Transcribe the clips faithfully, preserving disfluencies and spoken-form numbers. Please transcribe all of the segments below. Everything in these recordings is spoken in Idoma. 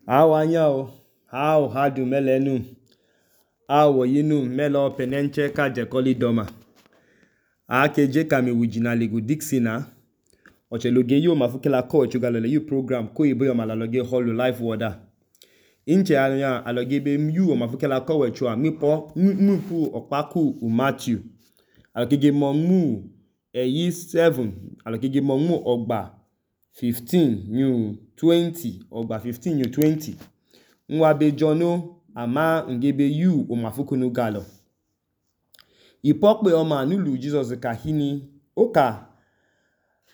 How anyao, how hadu melenu, how yinu melo penenche ka jekoli doma. Ake je kami wijina ligu dixina. Oche loge yu mafukela ko chugalele yu program ko ibo yo malaloge holu live wada. Inche anya aloge be yu mafukela ko wechua mipo mpu okpaku u Matthew. Aloge mo mu eyi seven, aloge mo mu ogba fifteen new twenty ogba fifteen new twenty. Nwa be jono ama ngebe yu o mafukunu galo. Ipokpe oma nulu Jesus kahini oka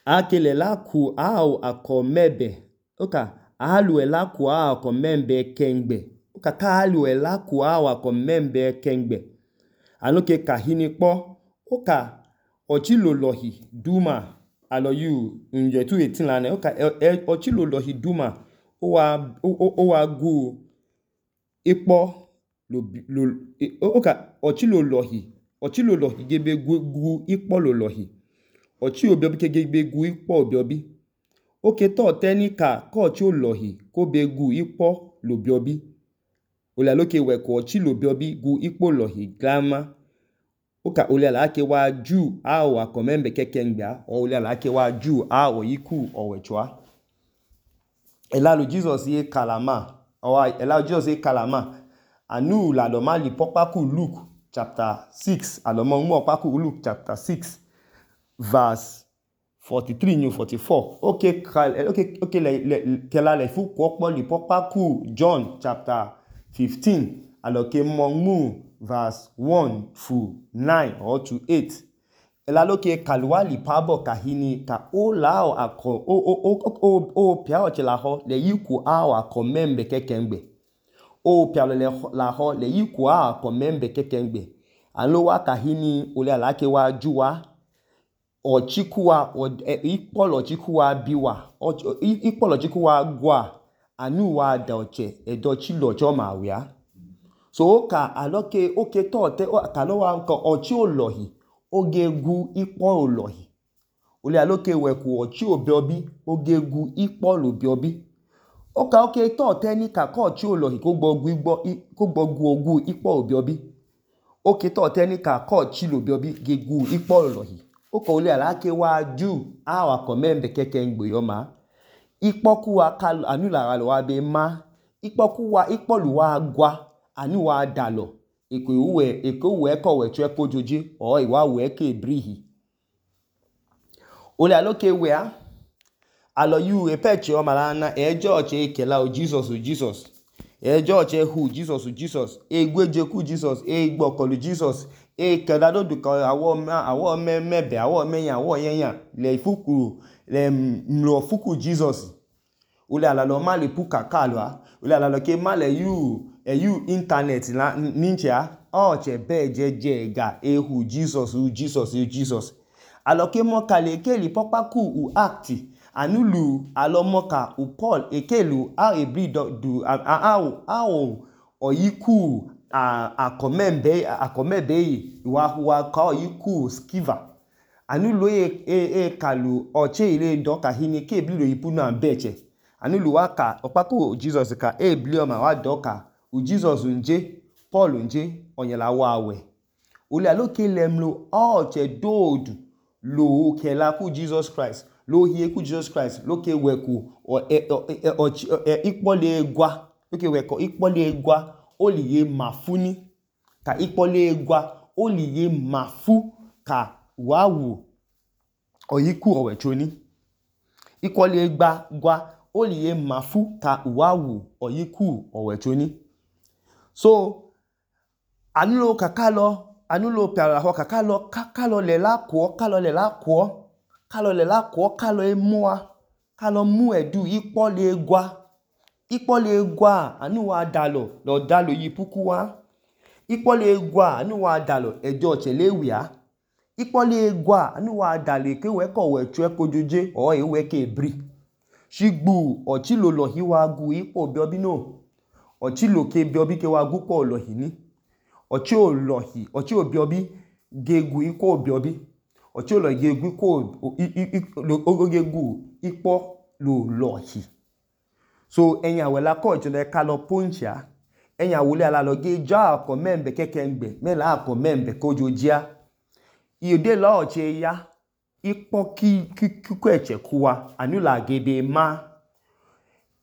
akele laku au akomebe oka alu elaku au akomembe kengbe oka ka alu elaku au akomembe kengbe anoke kahini po oka ochilolohi duma alo yu nje tu eighteen lane oka ochilolohi duma owa owa gu ipo lo lo oka ochilolohi ochilolohi gebe gu, gu ipo lolohi ochi obiobi ke gebe gu ipo obiobi oke to tenika ko ochi olohi ko be gu ipo lobiobi ole aloke weko ochi lobiobi gu ipo lohi grama oka ole alake wa ju au akomembe kekengba ole alake wa ju au yiku owechwa elalu Jesus ye kalama owa elalu Jesus ye kalama anu la do mali pokpaku Luke chapter six alomo mu okpaku Luke chapter six verse forty-three new forty-four okay okay okay le, le kela le fu kokpo li pokpaku John chapter fifteen aloke mo mu verse one to nine or to eight elaloke kalwali pabo kahini ka o lao ako o o o o o pia o chela ho le yiku a akomembe kekengbe o pia le la ho le yiku a akomembe kekengbe alo wa kahini ole alake wa juwa ochikuwa ikpolo chikuwa biwa ikpolo chikuwa gwa anu wa da oche edo chilo choma wia so oka aloke oke to te kalowa nko ochi olohi oge gu ipo olohi ole aloke weku ochi obiobi oge gu ipo lobiobi oka oke to te ni ka ko ochi olohi ko gbogu igbo ko gbogu ogu ipo obiobi oke to te ni ka ko ochi lobiobi ge gu ipo olohi oka ole alake wa ju a akomembe kekengbe yoma ipoku wa kalu anu la wa be ma ipoku wa ipolu wa gwa anu wa dalo eko uwe eko uwe ko we twe kojoji o iwa we ke brihi ole aloke we a alo yu epeche o malana e church e kela o Jesus o Jesus e church e hu Jesus o Jesus e gweje ku Jesus e gbokolu Jesus e kela do du ka awo awo me mebe awo meyan awo yeyan le fuku le mlo fuku Jesus ole alalo ma le puka kalwa ole alalo ke ma le yu e yu internet la ninja o che be jeje ga e hu Jesus u Jesus u Jesus aloke mo kale keli popaku u act anulu alomoka u Paul ekelu a ebri du a a a oyiku a akomembe akomebe wa wa ka oyiku skiva anulu e e kalu oche ile do ka hini ke ebri lo yipu na beche anulu waka okpaku Jesus ka ebli o ma wa doka u Jesus nje Paul nje onyela wa awe ole aloke lemlo oche dodu lo kela ku Jesus Christ lo hie ku Jesus Christ loke weku o ikpole gwa loke weko ikpole gwa oliye mafuni ka ikpole gwa oliye mafu ka wawu oyiku owechoni ikpole gba gwa oliye mafu ka wawu oyiku owechoni so anulo kakalo anulo piara ho kakalo kakalo le la kwo kalo le la kwo kalo le la kwo kalo emua kalo mu edu ikpole gwa ikpole gwa anu wa dalo lo dalo yipuku wa ikpole gwa anu wa dalo ejo chelewia ikpole gwa anu wa dalo ke we ko we twe kojoje o ewe ke bri shigbu ochilolohi wa gu ipo biobi no ochiloke biobi ke wa gu po olohi ni ochi olohi ochi obiobi gegu iko obiobi ochi olohi gegu iko ogegu ipo lo lohi So enya wela ko chole kalo poncha enya wole ala lo ge ja ko membe kekengbe me la ko membe ko jojia ide lo che ya ipo ki ki ko eche kuwa anula gebe ma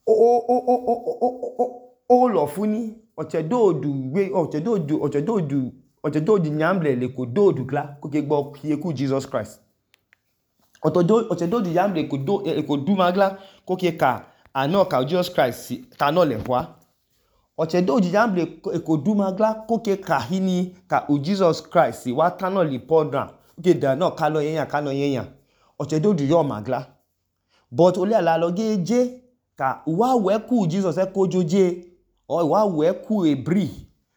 o o o o o o lo funi ochedodu we ochedodu ochedodu ochedodu nyamble le ko dodu kla ko ke gbo ki ku Jesus Christ otodo ochedodu nyamble ko do e ko du magla ko ke ka ano ka Jesus Christ ka no le wa ochedodu nyamble ko du magla ko ke ka hini ka u Jesus Christ wa tano li podran ke da no ka lo yen ka no yen ochedodu yo magla but ole ala lo geje ka wa we ku Jesus e ko joje o wa we ku ebri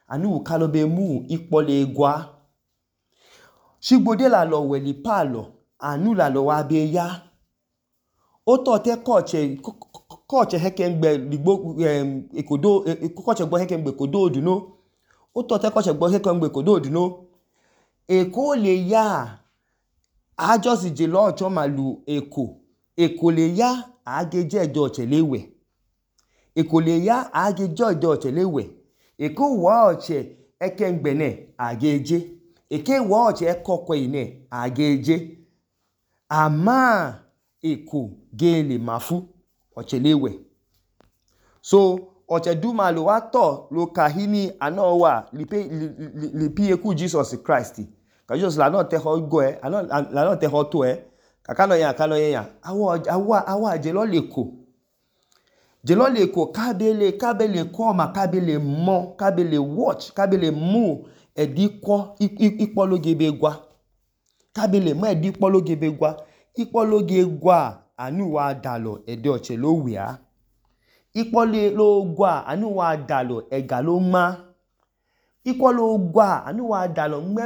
anu ka lo be mu ipole egwa sigbode la lo we li palo anu la lo wa be ya o to te ko che ko che hekengbe ligbo ekodo ko che gbo hekengbe kodo oduno o to te ko che gbo hekengbe kodo oduno eko le ya a just je lo ocho malu eko eko le ya ageje ejo chelewe eko le ya ageje ejo chelewe eko wa oche ekengbe ne ageje eke wa oche ekokwe ine ageje ama eko gele mafu ochelewe so oche dumalo wa to lo kahini anowa lipe lipi eku Jesus Christ ka Jesus la no te ho go e la no te ho to e kaka no yan kalo yan awo awa awa je lo leko je lo leko kabele kabele ko ma kabele mo kabele watch kabele mu ediko ipologe begwa kabele mo edipologe begwa ipologe gwa anu wa dalo ede oche lo wia ipole lo gwa anu wa dalo ega lo ma ipolo gwa anu wa dalo me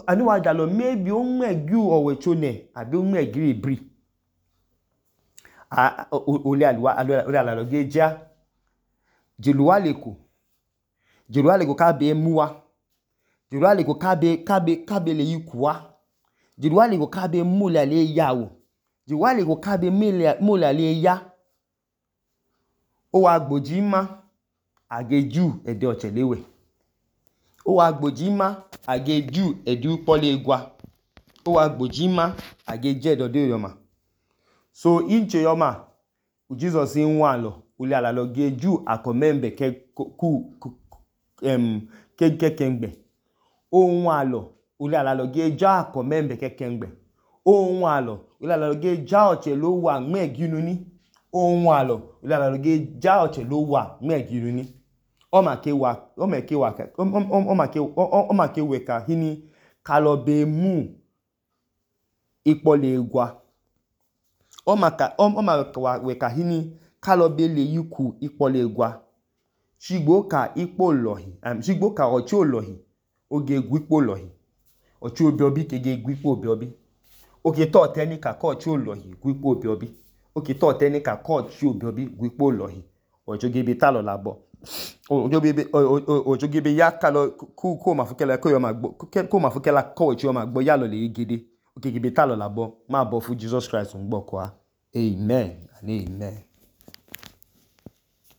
anu wa dalo maybe o megu owechone abi o megiri bri a ole alwa ole alalo geja jeluwa leko jeluwa leko ka be muwa jeluwa leko ka be ka be ka be le yikuwa jeluwa leko ka be mule le yawo jeluwa leko ka be mule mule le ya o wa gboji ma ageju ede ochelewe o wa gboji ma ageju edu pole egwa o wa gboji ma ageje dode yoma so inche yoma Jesus in walo ule ala lo geju akomembe ke ku em ke kekengbe o walo ule ala lo geja akomembe kekengbe o walo ule ala lo geja oche lo wa meginu ni o walo ule ala lo geja oche lo wa meginu ni o ma ke wa o ma ke wa o ma ke o ma ke we ka hini kalo be mu ipole egwa o ma ka o ma ka we ka hini kalo be le yiku ipole egwa shigbo ka ipo lohi am shigbo ka ochi olohi oge gwipo lohi ochi obi obi ke ge gwipo obi obi oke to teni ka ko ochi olohi gwipo obi obi oke to teni ka ko ochi obi obi gwipo lohi ojo ge be talo labo ojo be ojo ge be ya kalo ku ko ma fukela ko yo ma gbo ko ma fukela ko ochi yo ma gbo ya lo le gede oke ge be talo labo ma bo fu Jesus Christ ngbo ko a amen and amen.